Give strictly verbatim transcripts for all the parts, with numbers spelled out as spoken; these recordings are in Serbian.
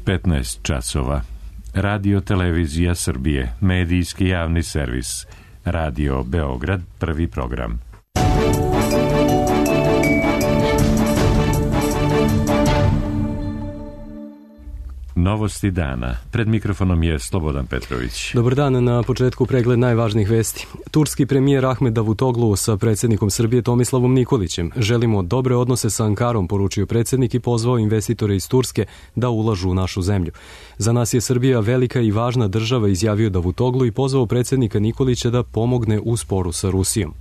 petnaest časova. Radio Televizija Srbije, medijski javni servis. Radio Beograd, prvi program. Novosti dana. Pred mikrofonom je Slobodan Petrović. Dobar dan, na početku pregled najvažnijih vesti. Turski premijer Ahmed Davutoglu sa predsjednikom Srbije Tomislavom Nikolićem. Želimo dobre odnose sa Ankarom, poručio predsjednik i pozvao investitore iz Turske da ulažu u našu zemlju. Za nas je Srbija velika i važna država, izjavio Davutoglu i pozvao predsjednika Nikolića da pomogne u sporu sa Rusijom.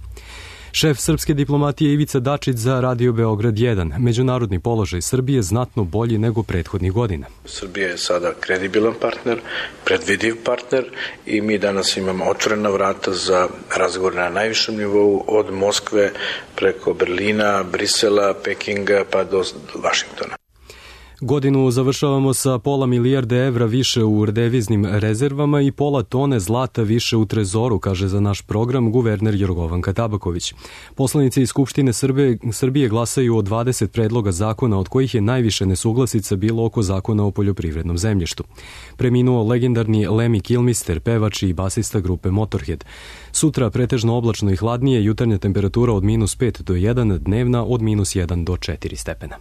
Šef srpske diplomatije Ivica Dačić za Radio Beograd jedan. Međunarodni položaj Srbije znatno bolji nego prethodnih godina. Srbija je sada kredibilan partner, predvidiv partner i mi danas imamo otvorena vrata za razgovor na najvišem nivou od Moskve preko Berlina, Brisela, Pekinga pa do Vašingtona. Godinu završavamo sa pola milijarde evra više u deviznim rezervama i pola tone zlata više u trezoru, kaže za naš program guverner Jorgovanka Tabaković. Poslanici iz Skupštine Srbije, Srbije glasaju o dvadeset predloga zakona, od kojih je najviše nesuglasica bilo oko zakona o poljoprivrednom zemljištu. Preminuo legendarni Lemmy Kilmister, pevač i basista grupe Motorhead. Sutra pretežno oblačno i hladnije, jutarnja temperatura od minus pet do jedan, dnevna od minus jedan do četiri stepena.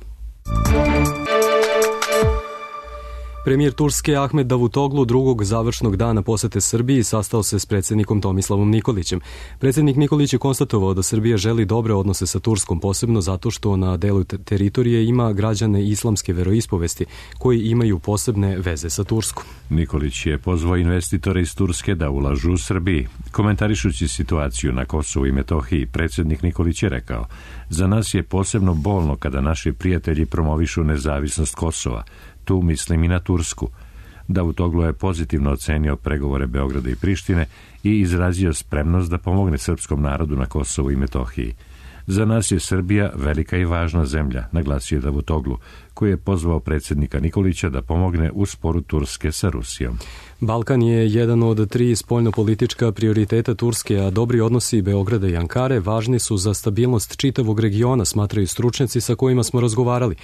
Premijer Turske Ahmed Davutoglu drugog završnog dana posete Srbiji sastao se s predsjednikom Tomislavom Nikolićem. Predsjednik Nikolić je konstatovao da Srbija želi dobre odnose sa Turskom, posebno zato što na delu teritorije ima građane islamske veroispovesti koji imaju posebne veze sa Turskom. Nikolić je pozvao investitore iz Turske da ulažu u Srbiji. Komentarišući situaciju na Kosovu i Metohiji, predsjednik Nikolić je rekao: za nas je posebno bolno kada naši prijatelji promovišu nezavisnost Kosova. Tu mislim i na Tursku. Davutoglu je pozitivno ocenio pregovore Beograda i Prištine i izrazio spremnost da pomogne srpskom narodu na Kosovu i Metohiji. Za nas je Srbija velika i važna zemlja, naglasio je Davutoglu, koji je pozvao predsjednika Nikolića da pomogne u sporu Turske sa Rusijom. Balkan je jedan od tri spoljnopolitička prioriteta Turske, a dobri odnosi Beograda i Ankare važni su za stabilnost čitavog regiona, smatraju stručnjaci sa kojima smo razgovarali.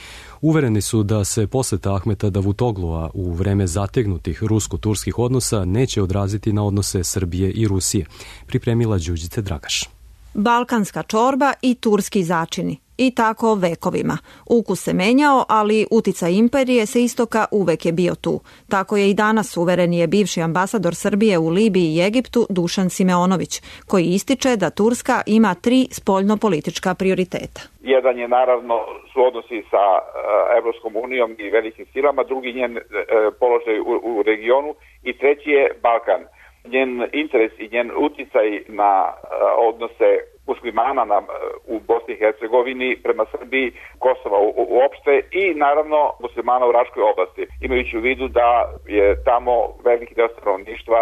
Uvereni su da se poseta Ahmeta Davutoglua u vreme zategnutih rusko-turskih odnosa neće odraziti na odnose Srbije i Rusije. Pripremila Đuđice Dragaš. Balkanska čorba i turski začini. I tako vekovima. Ukus se menjao, ali uticaj imperije sa istoka uvek je bio tu. Tako je i danas, uveren je bivši ambasador Srbije u Libiji i Egiptu Dušan Simeonović, koji ističe da Turska ima tri spoljnopolitička prioriteta. Jedan je naravno su odnosi sa Evropskom unijom i velikim silama, drugi njen položaj u, u regionu i treći je Balkan. Njen interes i njen uticaj na odnose muslimana na, u Bosni i Hercegovini prema Srbiji, Kosova u, uopšte i naravno muslimana u Raškoj oblasti. Imajući u vidu da je tamo veliki deo stanovništva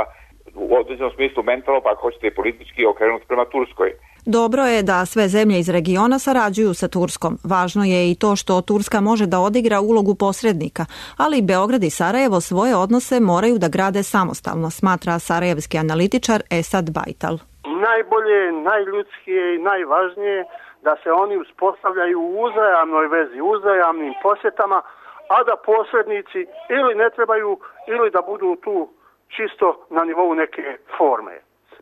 u određenom smislu mentalno, pa ako hoćete i politički, okrenut prema Turskoj. Dobro je da sve zemlje iz regiona sarađuju sa Turskom. Važno je i to što Turska može da odigra ulogu posrednika, ali Beograd i Sarajevo svoje odnose moraju da grade samostalno, smatra sarajevski analitičar Esad Bajtal. Najbolje, najljudskije i najvažnije da se oni uspostavljaju u uzajamnoj vezi, uzajamnim posjetama, a da posrednici ili ne trebaju ili da budu tu čisto na nivou neke forme.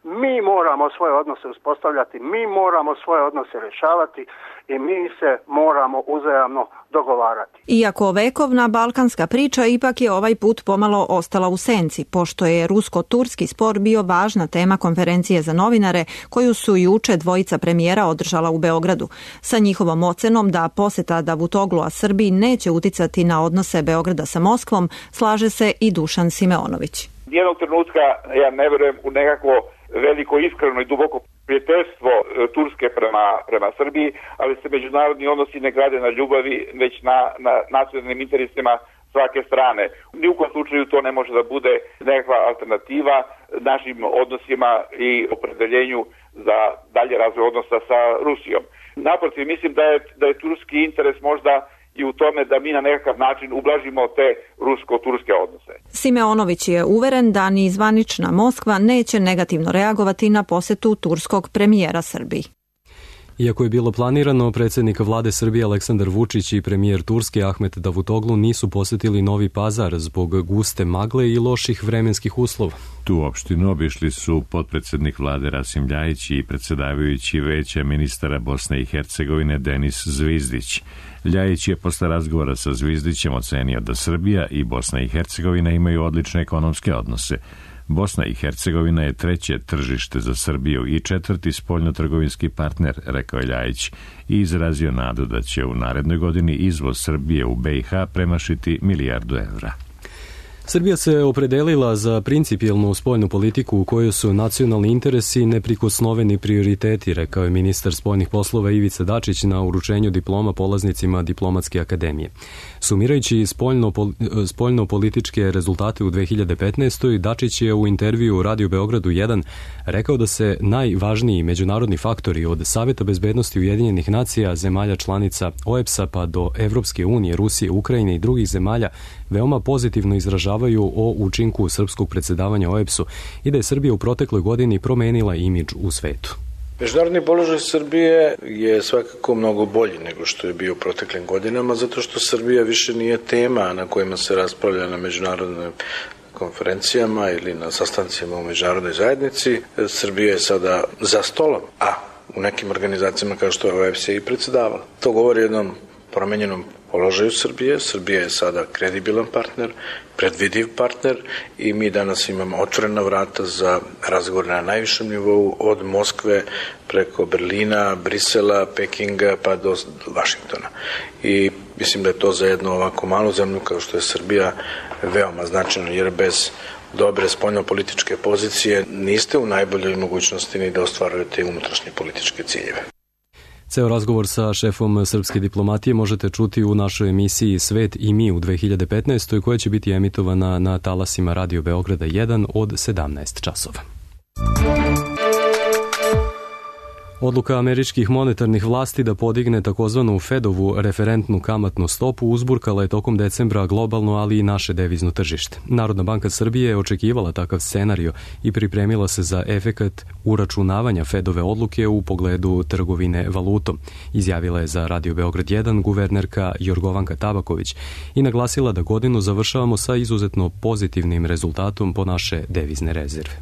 Mi moramo svoje odnose uspostavljati, mi moramo svoje odnose rješavati i mi se moramo uzajamno dogovarati. Iako vekovna balkanska priča ipak je ovaj put pomalo ostala u senci, pošto je rusko-turski spor bio važna tema konferencije za novinare koju su juče dvojica premijera održala u Beogradu. Sa njihovom ocenom da poseta Davutoglua Srbiji neće uticati na odnose Beograda sa Moskvom, slaže se i Dušan Simeonović. Jednog trenutka ja ne verujem u nekakvo veliko iskreno i duboko prijateljstvo Turske prema, prema Srbiji, ali se međunarodni odnosi ne grade na ljubavi, već na, na nacionalnim interesima svake strane. Ni u kojem slučaju to ne može da bude nekakva alternativa našim odnosima i opredeljenju za dalje razvoj odnosa sa Rusijom. Naprotiv, mislim da je, da je turski interes možda i u tome da mi na nekakav način ublažimo te rusko-turske odnose. Simeonović je uveren da ni zvanična Moskva neće negativno reagovati na posetu turskog premijera Srbiji. Iako je bilo planirano, predsjednik vlade Srbije Aleksandar Vučić i premijer Turske Ahmet Davutoglu nisu posetili Novi Pazar zbog guste magle i loših vremenskih uslova. Tu opštinu obišli su potpredsjednik vlade Rasim Ljajić i predsjedavajući Veća ministara Bosne i Hercegovine Denis Zvizdić. Ljajić je posle razgovora sa Zvizdićem ocenio da Srbija i Bosna i Hercegovina imaju odlične ekonomske odnose. Bosna i Hercegovina je treće tržište za Srbiju i četvrti spoljnotrgovinski partner, rekao je Ljajić, i izrazio nadu da će u narednoj godini izvoz Srbije u B i H premašiti milijardu evra. Srbija se opredelila za principijelnu spoljnu politiku u kojoj su nacionalni interesi neprikosnoveni prioriteti, rekao je ministar spoljnih poslova Ivica Dačić na uručenju diploma polaznicima Diplomatske akademije. Sumirajući spoljno, spoljno-političke rezultate u dve hiljade petnaestoj. Dačić je u intervju u Radio Beogradu jedan rekao da se najvažniji međunarodni faktori od Saveta bezbednosti Ujedinjenih nacija, zemalja članica O E B S-a pa do Evropske unije, Rusije, Ukrajine i drugih zemalja veoma pozitivno izražavaju o učinku srpskog predsjedavanja O E B S-u i da je Srbija u protekloj godini promenila imidž u svetu. Međunarodni položaj Srbije je svakako mnogo bolji nego što je bio u proteklim godinama, zato što Srbija više nije tema na kojima se raspravlja na međunarodnim konferencijama ili na sastancima u međunarodnoj zajednici. Srbija je sada za stolom, a u nekim organizacijama kao što je O E B S i predsjedavala. To govori o jednom promenjenom položaju Srbije. Srbija je sada kredibilan partner, predvidiv partner i mi danas imamo otvorena vrata za razgovor na najvišem nivou od Moskve preko Berlina, Brisela, Pekinga pa do Vašingtona. I mislim da je to za jednu ovako malu zemlju kao što je Srbija veoma značajno, jer bez dobre spoljno-političke pozicije niste u najboljoj mogućnosti ni da ostvarujete unutrašnje političke ciljeve. Ceo razgovor sa šefom srpske diplomatije možete čuti u našoj emisiji Svet i mi u dve hiljade petnaestoj. koja će biti emitovana na talasima Radio Beograda jedan od sedamnaest časova. Odluka američkih monetarnih vlasti da podigne takozvanu Fedovu referentnu kamatnu stopu uzburkala je tokom decembra globalno, ali i naše devizno tržište. Narodna banka Srbije je očekivala takav scenario i pripremila se za efekat uračunavanja Fedove odluke u pogledu trgovine valutom, izjavila je za Radio Beograd jedan guvernerka Jorgovanka Tabaković i naglasila da godinu završavamo sa izuzetno pozitivnim rezultatom po naše devizne rezerve.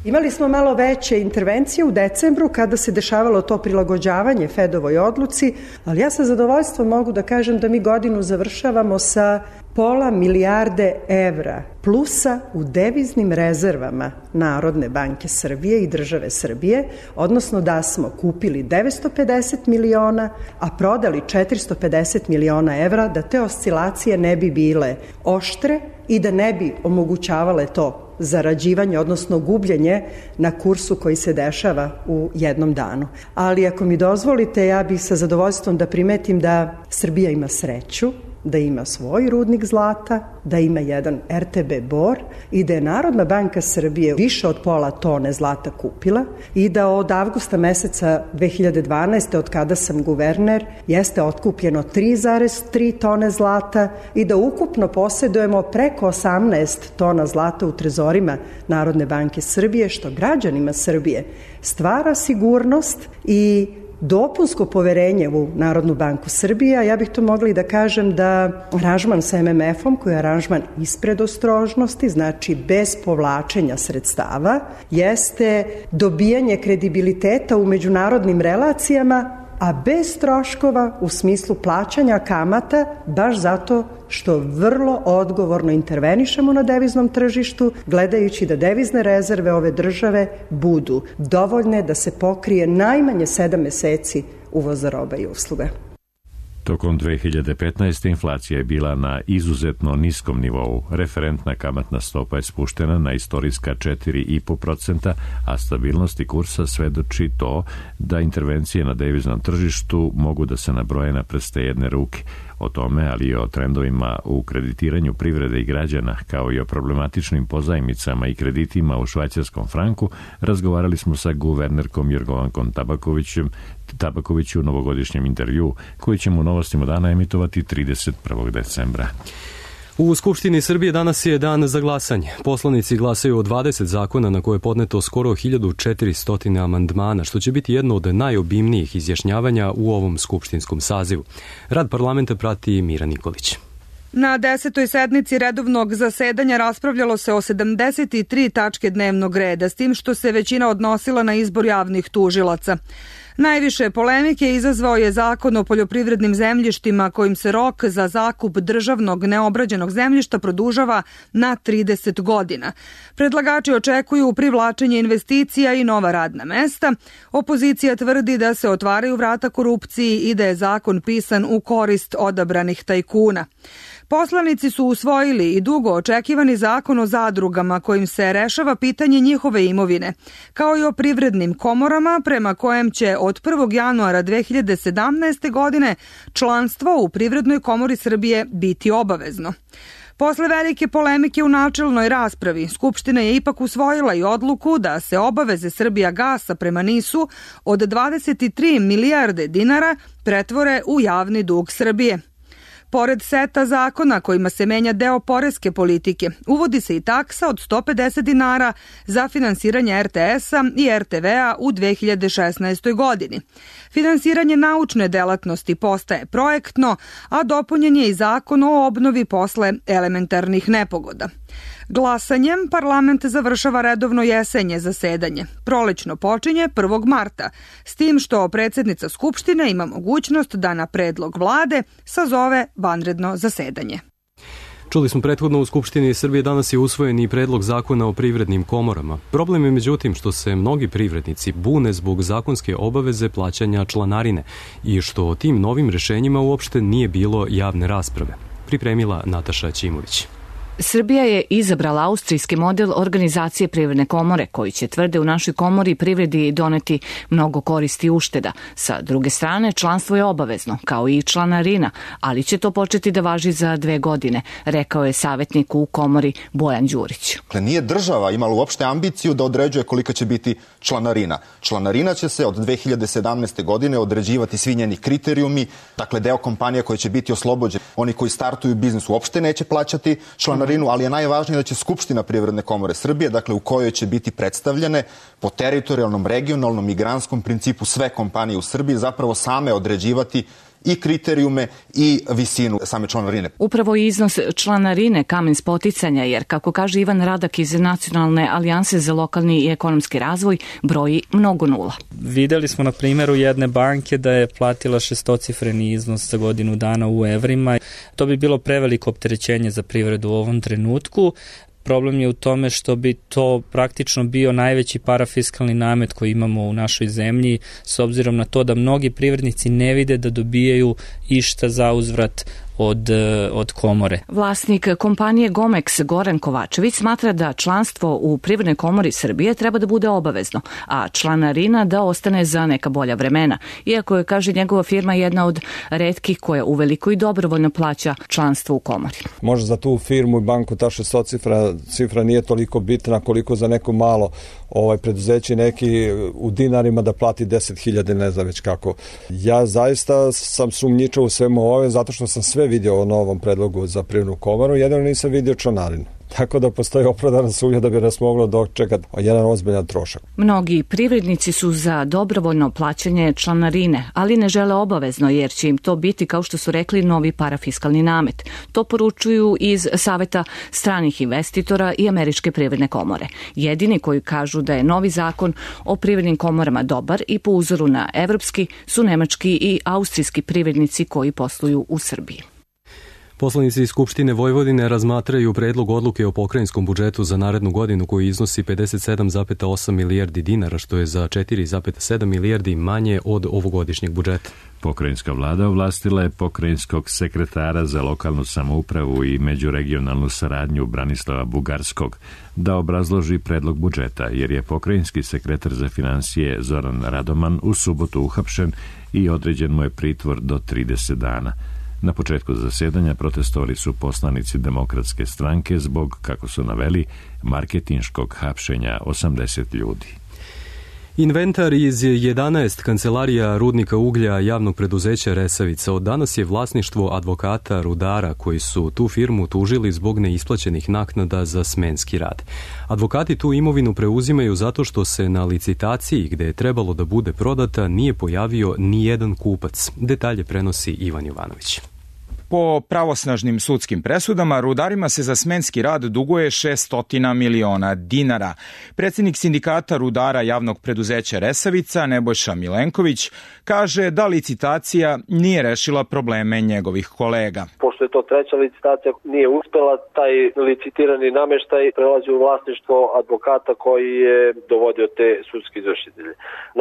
Imali smo malo veće intervencije u decembru kada se dešavalo to prilagođavanje Fedovoj odluci, ali ja sa zadovoljstvom mogu da kažem da mi godinu završavamo sa pola milijarde evra plusa u deviznim rezervama Narodne banke Srbije i države Srbije, odnosno da smo kupili devetsto pedeset miliona, a prodali četiristo pedeset miliona evra, da te oscilacije ne bi bile oštre i da ne bi omogućavale to zarađivanje, odnosno gubljenje na kursu koji se dešava u jednom danu. Ali ako mi dozvolite, ja bih sa zadovoljstvom da primetim da Srbija ima sreću, da ima svoj rudnik zlata, da ima jedan R T B Bor i da je Narodna banka Srbije više od pola tone zlata kupila i da od avgusta meseca dve hiljade dvanaeste. od kada sam guverner jeste otkupljeno tri zarez tri tone zlata i da ukupno posedujemo preko osamnaest tona zlata u trezorima Narodne banke Srbije, što građanima Srbije stvara sigurnost i dopunsko poverenje u Narodnu banku Srbije, a ja bih to mogla i da kažem da aranžman sa M M F-om, koji je aranžman ispred ostrožnosti, znači bez povlačenja sredstava, jeste dobijanje kredibiliteta u međunarodnim relacijama, a bez troškova u smislu plaćanja kamata, baš zato što vrlo odgovorno intervenišemo na deviznom tržištu, gledajući da devizne rezerve ove države budu dovoljne da se pokrije najmanje sedam meseci uvoza roba i usluga. Tokom dve hiljade petnaeste. inflacija je bila na izuzetno niskom nivou. Referentna kamatna stopa je spuštena na istorijska četiri i po procenta, a stabilnosti kursa svedoči to da intervencije na deviznom tržištu mogu da se nabroje na prste jedne ruke. O tome, ali i o trendovima u kreditiranju privrede i građana, kao i o problematičnim pozajmicama i kreditima u švajcarskom franku, razgovarali smo sa guvernerkom Jorgovankom Tabakovićem, Tabakoviću u novogodišnjem intervju, koji ćemo u Novostima dana emitovati trideset prvog decembra. U Skupštini Srbije danas je dan za glasanje. Poslanici glasaju o dvadeset zakona na koje je podneto skoro hiljadu četiristo amandmana, što će biti jedno od najobimnijih izjašnjavanja u ovom skupštinskom sazivu. Rad parlamenta prati Mira Nikolić. Na desetoj sednici redovnog zasedanja raspravljalo se o sedamdeset tri tačke dnevnog reda, s tim što se većina odnosila na izbor javnih tužilaca. Najviše polemike izazvao je Zakon o poljoprivrednim zemljištima kojim se rok za zakup državnog neobrađenog zemljišta produžava na trideset godina. Predlagači očekuju privlačenje investicija i nova radna mesta. Opozicija tvrdi da se otvaraju vrata korupciji i da je zakon pisan u korist odabranih tajkuna. Poslanici su usvojili i dugo očekivani zakon o zadrugama kojim se rešava pitanje njihove imovine, kao i o privrednim komorama prema kojem će od prvog januara dve hiljade sedamnaeste. godine članstvo u Privrednoj komori Srbije biti obavezno. Posle velike polemike u načelnoj raspravi, Skupština je ipak usvojila i odluku da se obaveze Srbijagasa prema NIS-u od dvadeset tri milijarde dinara pretvore u javni dug Srbije. Pored seta zakona kojima se menja deo poreske politike, uvodi se i taksa od sto pedeset dinara za finansiranje er te es-a i er te ve-a u dve hiljade šesnaestoj. godini. Finansiranje naučne delatnosti postaje projektno, a dopunjen je i zakon o obnovi posle elementarnih nepogoda. Glasanjem parlament završava redovno jesenje zasedanje. Prolećno počinje prvog marta, s tim što predsjednica Skupštine ima mogućnost da na predlog vlade sazove vanredno zasedanje. Čuli smo prethodno u Skupštini Srbije danas je usvojen i predlog zakona o privrednim komorama. Problem je međutim što se mnogi privrednici bune zbog zakonske obaveze plaćanja članarine i što o tim novim rešenjima uopšte nije bilo javne rasprave. Pripremila Nataša Ćimović. Srbija je izabrala austrijski model organizacije privredne komore, koji će, tvrde, u našoj komori privredi doneti mnogo koristi i ušteda. Sa druge strane, članstvo je obavezno, kao i članarina, ali će to početi da važi za dve godine, rekao je savjetnik u komori Bojan Đurić. Dakle, nije država imala uopšte ambiciju da određuje kolika će biti članarina. Članarina će se od dve hiljade sedamnaeste. godine određivati svi njeni kriterijumi, dakle deo kompanija koji će biti oslobođen. Oni koji startuju biznis uopšte neće plaćati članarinu, ali je najvažnije da će Skupština Privredne komore Srbije, dakle u kojoj će biti predstavljene po teritorijalnom, regionalnom i granskom principu sve kompanije u Srbiji zapravo same određivati i kriterijume i visinu same članarine. Upravo iznos članarine kamen spoticanja, jer, kako kaže Ivan Radak iz Nacionalne alijanse za lokalni i ekonomski razvoj, broji mnogo nula. Videli smo na primjeru jedne banke da je platila šestocifreni iznos za godinu dana u evrima. To bi bilo preveliko opterećenje za privredu u ovom trenutku. Problem je u tome što bi to praktično bio najveći parafiskalni namet koji imamo u našoj zemlji, s obzirom na to da mnogi privrednici ne vide da dobijaju išta za uzvrat od, od komore. Vlasnik kompanije Gomex Goran Kovačević smatra da članstvo u Privrednoj komori Srbije treba da bude obavezno, a članarina da ostane za neka bolja vremena, iako je, kaže, njegova firma jedna od retkih koja uveliko i dobrovoljno plaća članstvo u komori. Možda za tu firmu i banku ta šestocifra cifra nije toliko bitna koliko za neko malo ovaj preduzeće neki u dinarima da plati deset hiljada, ne znam već kako. Ja zaista sam sumnjičao u svemu ove zato što sam sve vidio o novom predlogu za Privrednu komoru, jedino nisam vidio članarinu. Tako da postoji opravdana sumnja da bi nas moglo dočekati jedan ozbiljan trošak. Mnogi privrednici su za dobrovoljno plaćanje članarine, ali ne žele obavezno, jer će im to biti, kao što su rekli, novi parafiskalni namet. To poručuju iz Saveta stranih investitora i Američke privredne komore. Jedini koji kažu da je novi zakon o privrednim komorama dobar i po uzoru na evropski su nemački i austrijski privrednici koji posluju u Srbiji. Poslanici iz Skupštine Vojvodine razmatraju predlog odluke o pokrajinskom budžetu za narednu godinu koji iznosi pedeset sedam zarez osam milijardi dinara, što je za četiri zarez sedam milijardi manje od ovogodišnjeg budžeta. Pokrajinska vlada ovlastila je pokrajinskog sekretara za lokalnu samoupravu i međuregionalnu saradnju Branislava Bugarskog da obrazloži predlog budžeta, jer je pokrajinski sekretar za finansije Zoran Radoman u subotu uhapšen i određen mu je pritvor do trideset dana. Na početku zasedanja protestovali su poslanici Demokratske stranke zbog, kako su naveli, marketinškog hapšenja osamdeset ljudi. Inventar iz jedanaest kancelarija rudnika uglja javnog preduzeća Resavica od danas je vlasništvo advokata rudara koji su tu firmu tužili zbog neisplaćenih naknada za smenski rad. Advokati tu imovinu preuzimaju zato što se na licitaciji gde je trebalo da bude prodata nije pojavio ni jedan kupac. Detalje prenosi Ivan Jovanović. Po pravosnažnim sudskim presudama, rudarima se za smenski rad duguje šessto miliona dinara. Predsjednik sindikata rudara javnog preduzeća Resavica, Nebojša Milenković, kaže da licitacija nije rešila probleme njegovih kolega. Pošto je to treća licitacija, nije uspela, taj licitirani nameštaj prelazi u vlasništvo advokata koji je dovodio te sudske izvršitelje.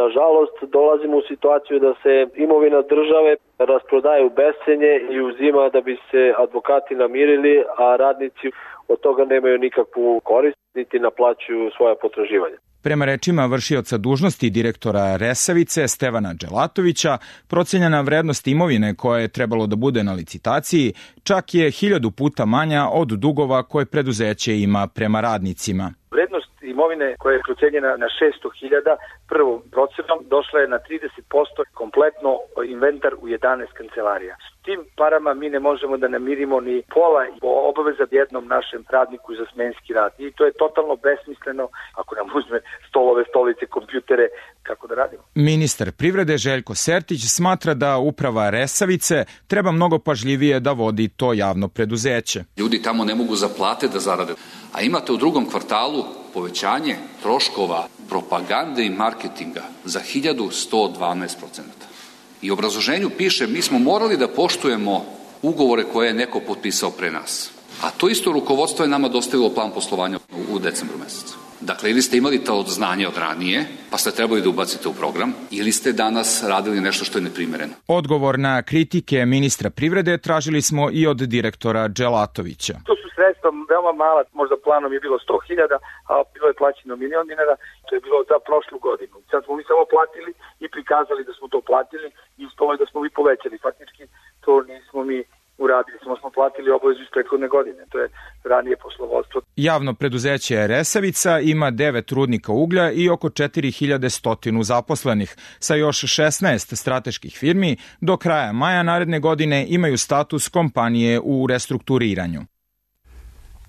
Nažalost, dolazimo u situaciju da se imovina države rasprodaje u bescenje i uzima da bi se advokati namirili, a radnici od toga nemaju nikakvu korist, niti naplaćuju svoja potraživanja. Prema rečima vršioca dužnosti direktora Resavice Stevana Dželatovića, procenjena vrednost imovine koja je trebalo da bude na licitaciji čak je hiljadu puta manja od dugova koje preduzeće ima prema radnicima. Vrednost imovine koja je procenjena na šesto hiljada prvom procenom došla je na trideset posto kompletno inventar u jedanaest kancelarija. S tim parama mi ne možemo da namirimo ni pola obaveza jednom našem radniku za smenski rad. I to je totalno besmisleno ako nam uzme stolove, stolice, kompjutere, kako da radimo. Ministar privrede Željko Sertić smatra da uprava Resavice treba mnogo pažljivije da vodi to javno preduzeće. Ljudi tamo ne mogu za plate da zarade, a imate u drugom kvartalu povećanje troškova propagande i marketinga za hiljadu sto dvanaest procenata. I u obrazloženju piše mi smo morali da poštujemo ugovore koje je neko potpisao pre nas. A to isto rukovodstvo je nama dostavilo plan poslovanja u decembru mesecu. Dakle, ili ste imali to znanje od ranije, pa ste trebali da ubacite u program, ili ste danas radili nešto što je neprimereno. Odgovor na kritike ministra privrede tražili smo i od direktora Dželatovića. To su sredstva veoma mala, možda planom je bilo sto hiljada, a bilo je plaćeno milion dinara, to je bilo za prošlu godinu. Sad smo mi samo platili i prikazali da smo to platili i ispalo je da smo mi povećali. Faktički to nismo mi uradili, smo smo platili obavezu iz prethodne godine. To je ranije poslovodstvo. Javno preduzeće Resavica ima devet rudnika uglja i oko četiri hiljade stotinu zaposlenih. Sa još šesnaest strateških firmi do kraja maja naredne godine imaju status kompanije u restrukturiranju.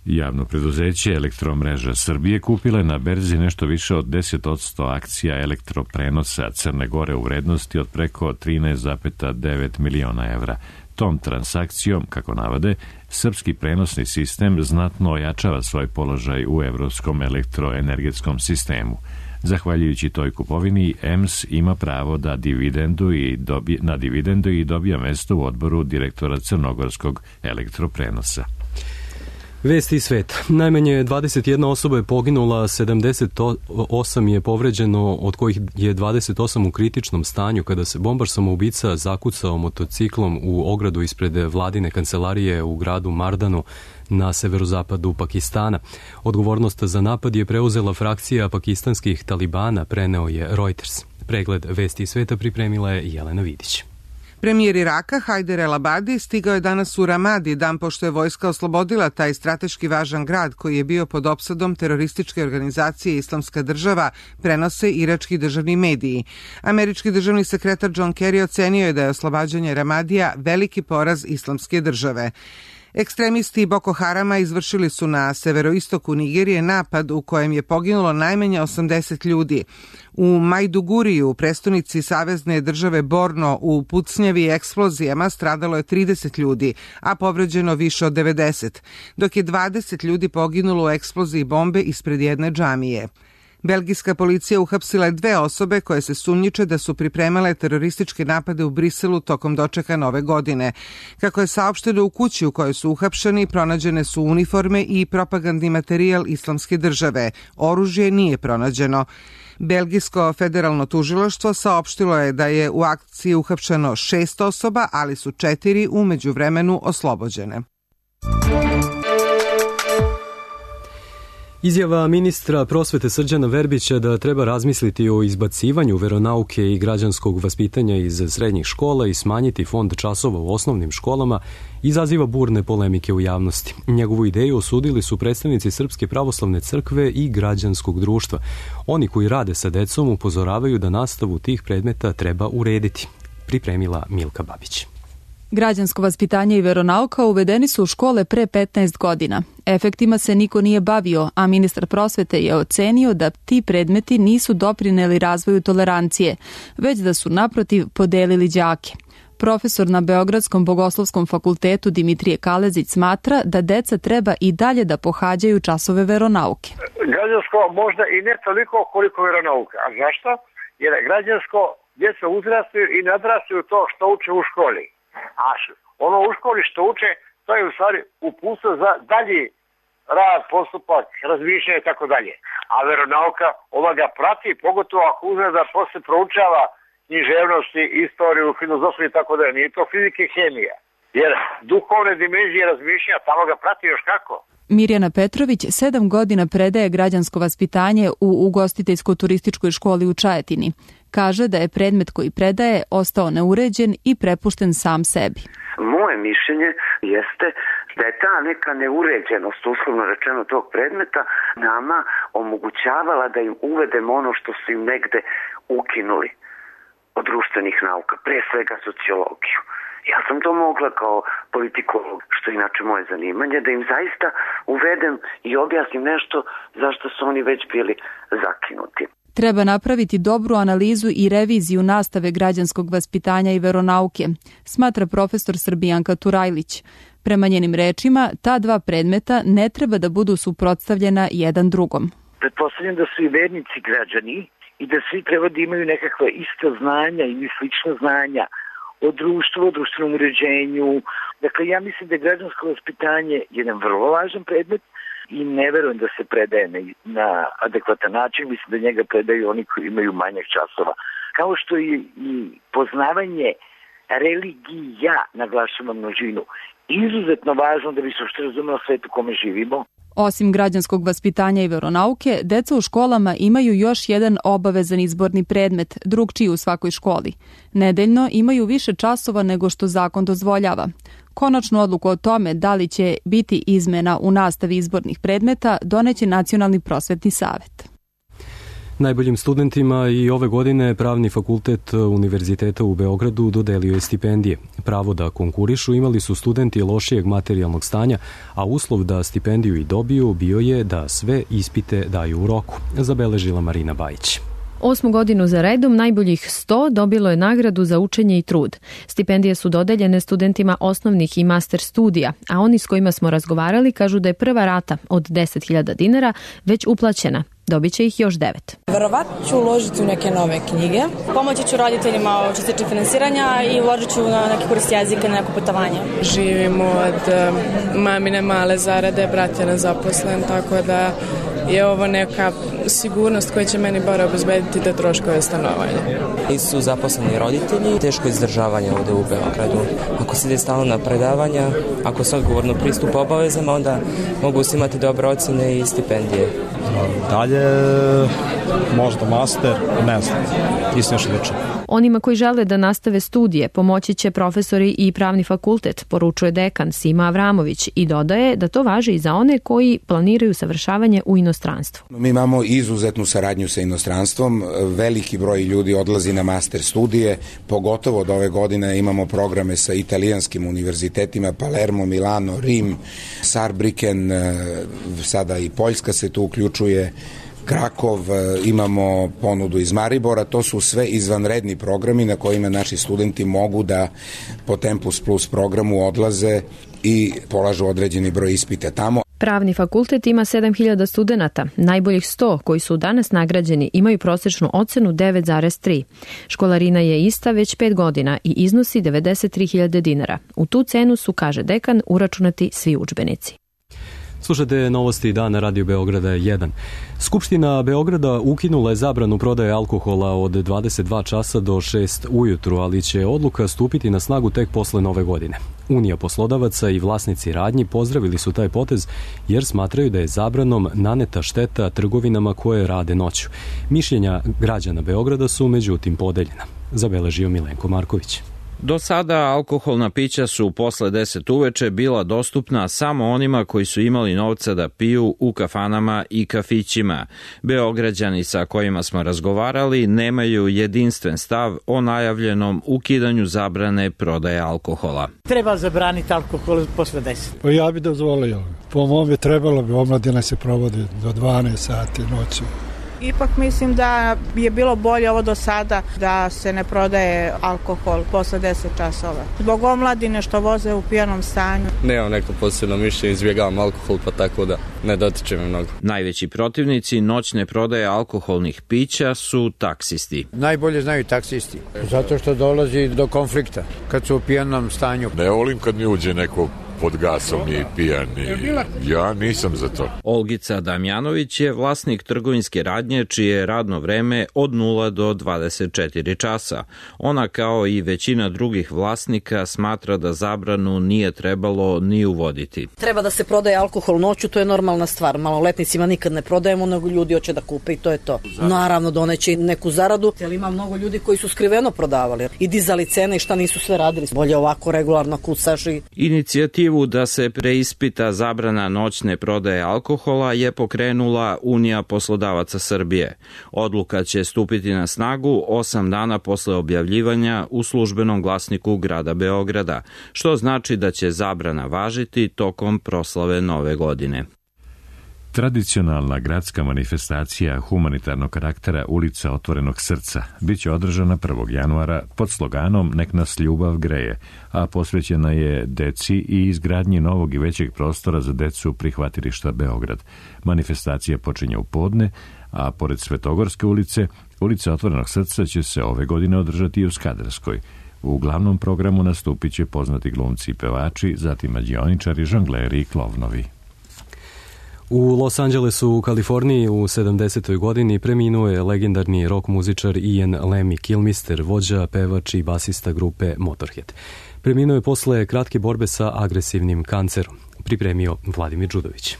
Javno preduzeće Elektromreža Srbije kupila je na berzi nešto više od deset posto akcija elektroprenosa Crne Gore u vrednosti od preko trinaest zarez devet miliona evra. Tom transakcijom, kako navode, srpski prenosni sistem znatno ojačava svoj položaj u evropskom elektroenergetskom sistemu. Zahvaljujući toj kupovini, E M S ima pravo da dividendu i dobije, na dividendu i dobija mesto u odboru direktora crnogorskog elektroprenosa. Vesti iz sveta. Najmanje dvadeset jedna osoba je poginula, sedamdeset osam je povređeno, od kojih je dvadeset osam u kritičnom stanju kada se bombar samoubica zakucao motociklom u ogradu ispred vladine kancelarije u gradu Mardanu na severozapadu Pakistana. Odgovornost za napad je preuzela frakcija pakistanskih talibana, preneo je Reuters. Pregled Vesti iz sveta pripremila je Jelena Vidić. Premijer Iraka Hajder el-Abadi stigao je danas u Ramadi, dan pošto je vojska oslobodila taj strateški važan grad koji je bio pod opsadom terorističke organizacije Islamska država, prenose irački državni mediji. Američki državni sekretar John Kerry ocenio je da je oslobađanje Ramadija veliki poraz Islamske države. Ekstremisti Boko Harama izvršili su na severoistoku Nigerije napad u kojem je poginulo najmanje osamdeset ljudi. U Majduguriju, prestonici savezne države Borno, u pucnjavi i eksplozijama stradalo je trideset ljudi, a povređeno više od devedeset, dok je dvadeset ljudi poginulo u eksploziji bombe ispred jedne džamije. Belgijska policija uhapsila je dve osobe koje se sumnjiče da su pripremale terorističke napade u Briselu tokom dočeka nove godine. Kako je saopšteno, u kući u kojoj su uhapšeni pronađene su uniforme i propagandni materijal Islamske države. Oružje nije pronađeno. Belgijsko federalno tužilaštvo saopštilo je da je u akciji uhapšeno šest osoba, ali su četiri u međuvremenu oslobođene. Izjava ministra prosvete Srđana Verbića da treba razmisliti o izbacivanju veronauke i građanskog vaspitanja iz srednjih škola i smanjiti fond časova u osnovnim školama izaziva burne polemike u javnosti. Njegovu ideju osudili su predstavnici Srpske pravoslavne crkve i građanskog društva. Oni koji rade sa decom upozoravaju da nastavu tih predmeta treba urediti. Pripremila Milka Babić. Građansko vaspitanje i veronauka uvedeni su u škole pre petnaest godina. Efektima se niko nije bavio, a ministar prosvete je ocenio da ti predmeti nisu doprineli razvoju tolerancije, već da su naprotiv podelili đake. Profesor na Beogradskom bogoslovskom fakultetu Dimitrije Kalezić smatra da deca treba i dalje da pohađaju časove veronauke. Građansko možda i ne toliko koliko veronauka. A zašto? Jer građansko djeca uzrastaju i nadrastaju to što uče u školi. A ono u školi što uče, to je u stvari uputstvo za dalji rad, postupak, razmišljanje i tako dalje. A veronauka, ova ga prati, pogotovo ako uzme da posle proučava književnosti, istoriju, filozofiju i tako dalje. Nije to fizika i hemija. Jer duhovne dimenzije razmišljanja tamo ga prati još kako. Mirjana Petrović sedam godina predaje građansko vaspitanje u ugostiteljsko-turističkoj školi u Čajetini. Kaže da je predmet koji predaje ostao neuređen i prepušten sam sebi. Moje mišljenje jeste da je ta neka neuređenost, uslovno rečeno, tog predmeta nama omogućavala da im uvedemo ono što su im negde ukinuli od društvenih nauka, pre svega sociologiju. Ja sam to mogla kao politikolog, što je inače moje zanimanje, da im zaista uvedem i objasnim nešto zašto su oni već bili zakinuti. Treba napraviti dobru analizu i reviziju nastave građanskog vaspitanja i veronauke, smatra profesor Srbijanka Turajlić. Prema njenim rečima, ta dva predmeta ne treba da budu suprotstavljena jedan drugom. Pretpostavljam da su i vernici građani i da svi treba da imaju nekakva ista znanja ili slična znanja o društvu, o društvenom uređenju. Dakle, ja mislim da je građansko vaspitanje jedan vrlo važan predmet i ne verujem da se predaje na, na adekvatan način. Mislim da njega predaju oni koji imaju manjak časova. Kao što je i poznavanje religija, naglašava množinu, izuzetno važno da bi se uopšte razumelo svet u kome živimo. Osim građanskog vaspitanja i veronauke, deca u školama imaju još jedan obavezan izborni predmet, drugčiji u svakoj školi. Nedeljno imaju više časova nego što zakon dozvoljava. Konačnu odluku o tome da li će biti izmena u nastavi izbornih predmeta doneće Nacionalni prosvetni savet. Najboljim studentima i ove godine Pravni fakultet Univerziteta u Beogradu dodelio je stipendije. Pravo da konkurišu imali su studenti lošijeg materijalnog stanja, a uslov da stipendiju i dobiju bio je da sve ispite daju u roku, zabeležila Marina Bajić. Osmu godinu za redom najboljih sto dobilo je nagradu za učenje i trud. Stipendije su dodeljene studentima osnovnih i master studija, a oni s kojima smo razgovarali kažu da je prva rata od deset hiljada dinara već uplaćena. Dobit će ih još devet. Verovatno ću uložiti u neke nove knjige. Pomoći ću roditeljima što se tiče finansiranja i uložit ću na neki kurs jezika, na neko putovanje. Živimo od mamine male zarade, brat je nezaposlen, tako da je ovo neka sigurnost koja će meni bar obezbediti te troškove stanovanja. Nisu zaposleni roditelji, teško izdržavanje ovde u Beogradu. Ako se ide stalno na predavanja, ako se odgovorno pristupa obavezama, onda mogu se imati dobre ocene i stipendije. Dalje, možda master, ne znam, nisam još lično. Onima koji žele da nastave studije pomoći će profesori i Pravni fakultet, poručuje dekan Sima Avramović i dodaje da to važi i za one koji planiraju savršavanje u inostranstvu. Mi imamo izuzetnu saradnju sa inostranstvom, veliki broj ljudi odlazi na master studije, pogotovo od ove godine imamo programe sa italijanskim univerzitetima, Palermo, Milano, Rim, Saarbrücken, sada i Poljska se tu uključuje, Krakov, imamo ponudu iz Maribora, to su sve izvanredni programi na kojima naši studenti mogu da po Tempus Plus programu odlaze i polažu određeni broj ispita tamo. Pravni fakultet ima sedam hiljada studenata. Najboljih sto koji su danas nagrađeni imaju prosečnu ocenu devet zarez tri. Školarina je ista već pet godina i iznosi devedeset tri hiljade dinara. U tu cenu su, kaže dekan, uračunati svi udžbenici. Slušate novosti dana Radio Beograda jedan. Skupština Beograda ukinula je zabranu prodaje alkohola od dvadeset dva časa do šest ujutru, ali će odluka stupiti na snagu tek posle nove godine. Unija poslodavaca i vlasnici radnji pozdravili su taj potez jer smatraju da je zabranom naneta šteta trgovinama koje rade noću. Mišljenja građana Beograda su međutim podeljena. Zabeležio Milenko Marković. Do sada alkoholna pića su posle deset uveče bila dostupna samo onima koji su imali novca da piju u kafanama i kafićima. Beograđani sa kojima smo razgovarali nemaju jedinstven stav o najavljenom ukidanju zabrane prodaje alkohola. Treba zabraniti alkohol posle deset. Pa ja bi dozvolio. Po mome trebalo bi, omladina se provodi do dvanaest sati noći. Ipak mislim da je bilo bolje ovo do sada da se ne prodaje alkohol posle deset časova. Zbog omladine što voze u pijanom stanju. Nemam neko posebno mišljenje, izbjegavam alkohol pa tako da ne dotiče me mnogo. Najveći protivnici noćne prodaje alkoholnih pića su taksisti. Najbolje znaju taksisti, zato što dolazi do konflikta kad su u pijanom stanju. Ne volim kad mi uđe neko pod gasom i pijani. Ja nisam za to. Olgica Damjanović je vlasnik trgovinske radnje čije je radno vreme od nula do dvadeset četiri časa. Ona kao i većina drugih vlasnika smatra da zabranu nije trebalo ni uvoditi. Treba da se prodaje alkohol noću, to je normalna stvar. Maloletnicima nikad ne prodajemo, nego ljudi hoće da kupe i to je to. Naravno doneće neku zaradu, ali ima mnogo ljudi koji su skriveno prodavali i dizali cene i šta nisu sve radili. Bolje ovako regularno kucaš i... Inicijativu da se preispita zabrana noćne prodaje alkohola je pokrenula Unija poslodavaca Srbije. Odluka će stupiti na snagu osam dana posle objavljivanja u službenom glasniku grada Beograda, što znači da će zabrana važiti tokom proslave Nove godine. Tradicionalna gradska manifestacija humanitarnog karaktera Ulica otvorenog srca biće održana prvog januara pod sloganom Nek nas ljubav greje, a posvećena je deci i izgradnji novog i većeg prostora za decu prihvatilišta Beograd. Manifestacija počinje u podne, a pored Svetogorske ulice, Ulica otvorenog srca će se ove godine održati i u Skadarskoj. U glavnom programu nastupit će poznati glumci i pevači, zatim mađioničari, žongleri i klovnovi. U Los Angelesu u Kaliforniji u sedamdesetoj godini preminuo je legendarni rock muzičar Ian Lemmy Kilmister, vođa, pevač i basista grupe Motorhead. Preminuo je posle kratke borbe sa agresivnim kancerom. Pripremio Vladimir Đudović.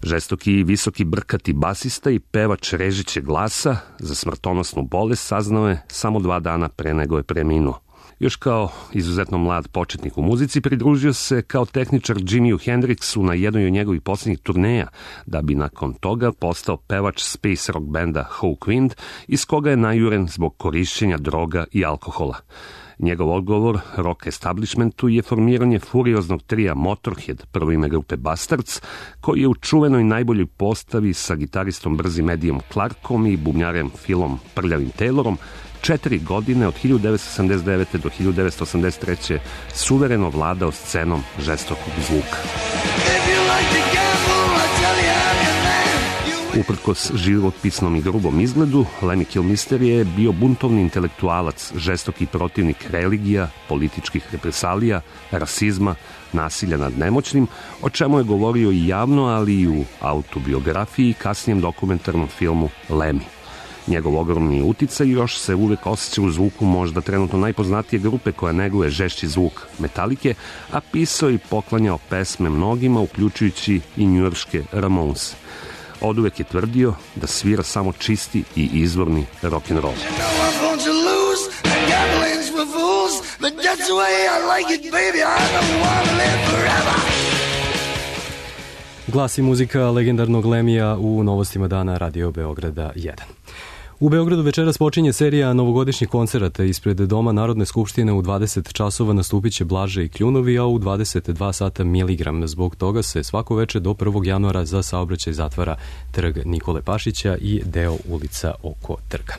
Žestoki i visoki brkati basista i pevač režićeg glasa za smrtonosnu bolest saznao je samo dva dana pre nego je preminuo. Još kao izuzetno mlad početnik u muzici pridružio se kao tehničar Jimiu Hendrixu na jednoj od njegovih posljednjih turneja, da bi nakon toga postao pevač space rock benda Hawkwind, iz koga je najuren zbog korišćenja droga i alkohola. Njegov odgovor rock establishmentu je formiranje furioznog trija Motorhead, prvo ime grupe Bastards, koji je u čuvenoj najboljoj postavi sa gitaristom brzim Eddiem Clarkom i bubnjarem Philom Prljavim Taylorom četiri godine od hiljadu devetsto osamdeset devete. do hiljadu devetsto osamdeset treće suvereno vladao scenom žestokog zvuka. Uprkos životpisnom i grubom izgledu, Lemmy Kilmister je bio buntovni intelektualac, žestoki protivnik religija, političkih represalija, rasizma, nasilja nad nemoćnim, o čemu je govorio i javno, ali i u autobiografiji i kasnijem dokumentarnom filmu Lemmy. Njegov ogromni uticaj još se uvek osjeća u zvuku možda trenutno najpoznatije grupe koja neguje žešći zvuk Metalike, a pisao i poklanjao pesme mnogima, uključujući i njujorške Ramones. Oduvek je tvrdio da svira samo čisti i izvorni rock'n'roll. Glas i muzika legendarnog Lemija u novostima dana Radio Beograda jedan. U Beogradu večeras počinje serija novogodišnjih koncerata. Ispred Doma Narodne skupštine u dvadeset časova nastupit će Blaže i Kljunovi, a u dvadeset dva sata Miligram. Zbog toga se svako veče do prvog januara za saobraćaj zatvara Trg Nikole Pašića i deo ulica oko trga.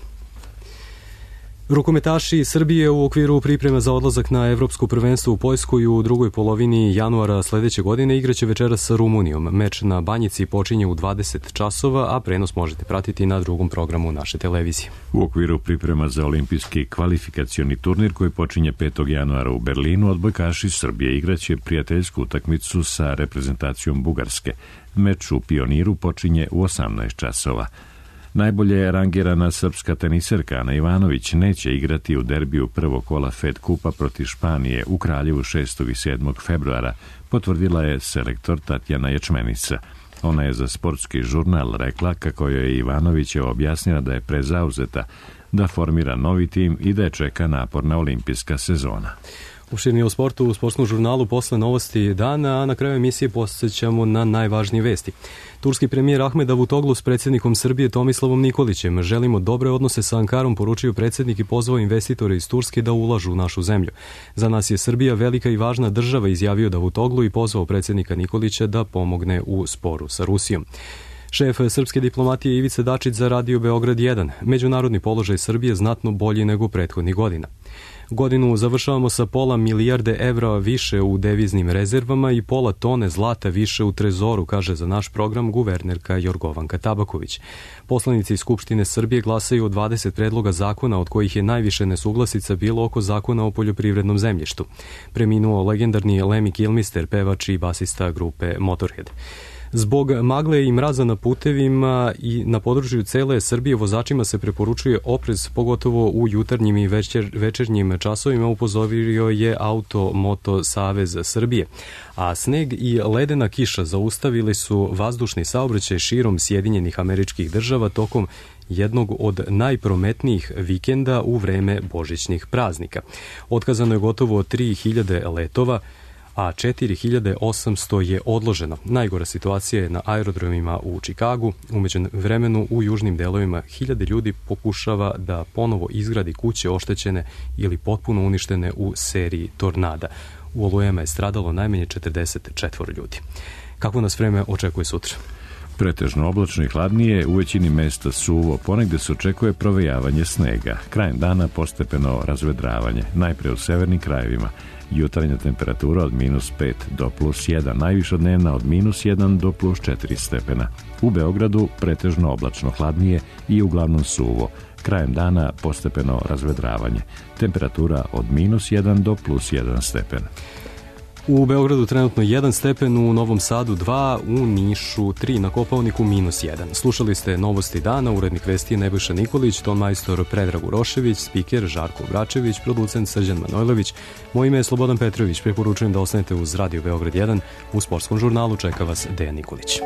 Rukometaši Srbije u okviru priprema za odlazak na evropsko prvenstvo u Poljsku i u drugoj polovini januara sledeće godine igraće večeras sa Rumunijom. Meč na Banjici počinje u dvadeset časova, a prenos možete pratiti na drugom programu naše televizije. U okviru priprema za olimpijski kvalifikacioni turnir koji počinje petog januara u Berlinu, odbojkaši Srbije igraće prijateljsku utakmicu sa reprezentacijom Bugarske. Meč u Pioniru počinje u osamnaest časova. Najbolje rangirana srpska teniserka Ana Ivanović neće igrati u derbiju prvog kola Fed Kupa protiv Španije u Kraljevu šestog i sedmog februara, potvrdila je selektor Tatjana Ječmenica. Ona je za sportski žurnal rekla kako je Ivanović objasnila da je prezauzeta, da formira novi tim i da je čeka naporna olimpijska sezona. Uširni o sportu u sportskom žurnalu posle novosti dana, a na kraju emisije posjećamo na najvažnije vesti. Turski premijer Ahmed Davutoglu s predsjednikom Srbije Tomislavom Nikolićem želimo dobre odnose sa Ankarom, poručio predsjednik i pozvao investitore iz Turske da ulažu u našu zemlju. Za nas je Srbija velika i važna država, izjavio Davutoglu i pozvao predsjednika Nikolića da pomogne u sporu sa Rusijom. Šef srpske diplomatije Ivica Dačić za Radio Beograd jedan. Međunarodni položaj Srbije znatno bolji nego prethodnih godina. Godinu završavamo sa pola milijarde evra više u deviznim rezervama i pola tone zlata više u trezoru, kaže za naš program guvernerka Jorgovanka Tabaković. Poslanici Skupštine Srbije glasaju o dvadeset predloga zakona, od kojih je najviše nesuglasica bilo oko zakona o poljoprivrednom zemljištu. Preminuo legendarni Lemmy Kilmister, pevač i basista grupe Motorhead. Zbog magle i mraza na putevima i na području cele Srbije vozačima se preporučuje oprez, pogotovo u jutarnjim i večer, večernjim časovima, upozorio je Auto Moto Savez Srbije. A sneg i ledena kiša zaustavili su vazdušni saobraćaj širom Sjedinjenih Američkih Država tokom jednog od najprometnijih vikenda u vreme božićnih praznika. Otkazano je gotovo tri hiljade letova, a četiri hiljade osamsto je odloženo. Najgora situacija je na aerodromima u Čikagu. Umeđu vremenu u južnim delovima hiljade ljudi pokušava da ponovo izgradi kuće oštećene ili potpuno uništene u seriji tornada. U olujama je stradalo najmanje četrdeset četiri ljudi. Kako nas vreme očekuje sutra? Pretežno oblačno i hladnije, u većini mesta suvo, ponegde se očekuje provejavanje snega. Krajem dana postepeno razvedravanje, najpre u severnim krajevima. Jutarnja temperatura od minus pet do plus jedan, najviša dnevna od minus jedan do plus četiri stepena. U Beogradu pretežno oblačno hladnije i uglavnom suvo. Krajem dana postepeno razvedravanje. Temperatura od minus jedan do plus jedan stepen. U Beogradu trenutno jedan stepen, u Novom Sadu dva, u Nišu tri, na Kopaoniku minus jedan. Slušali ste novosti dana, urednik vesti Nebojša Nikolić, ton majstor Predrag Urošević, spiker Žarko Bračević, producent Srđan Manojlović. Moje ime je Slobodan Petrović, preporučujem da ostanete uz Radio Beograd jedan. U sportskom žurnalu čeka vas Dejan Nikolić.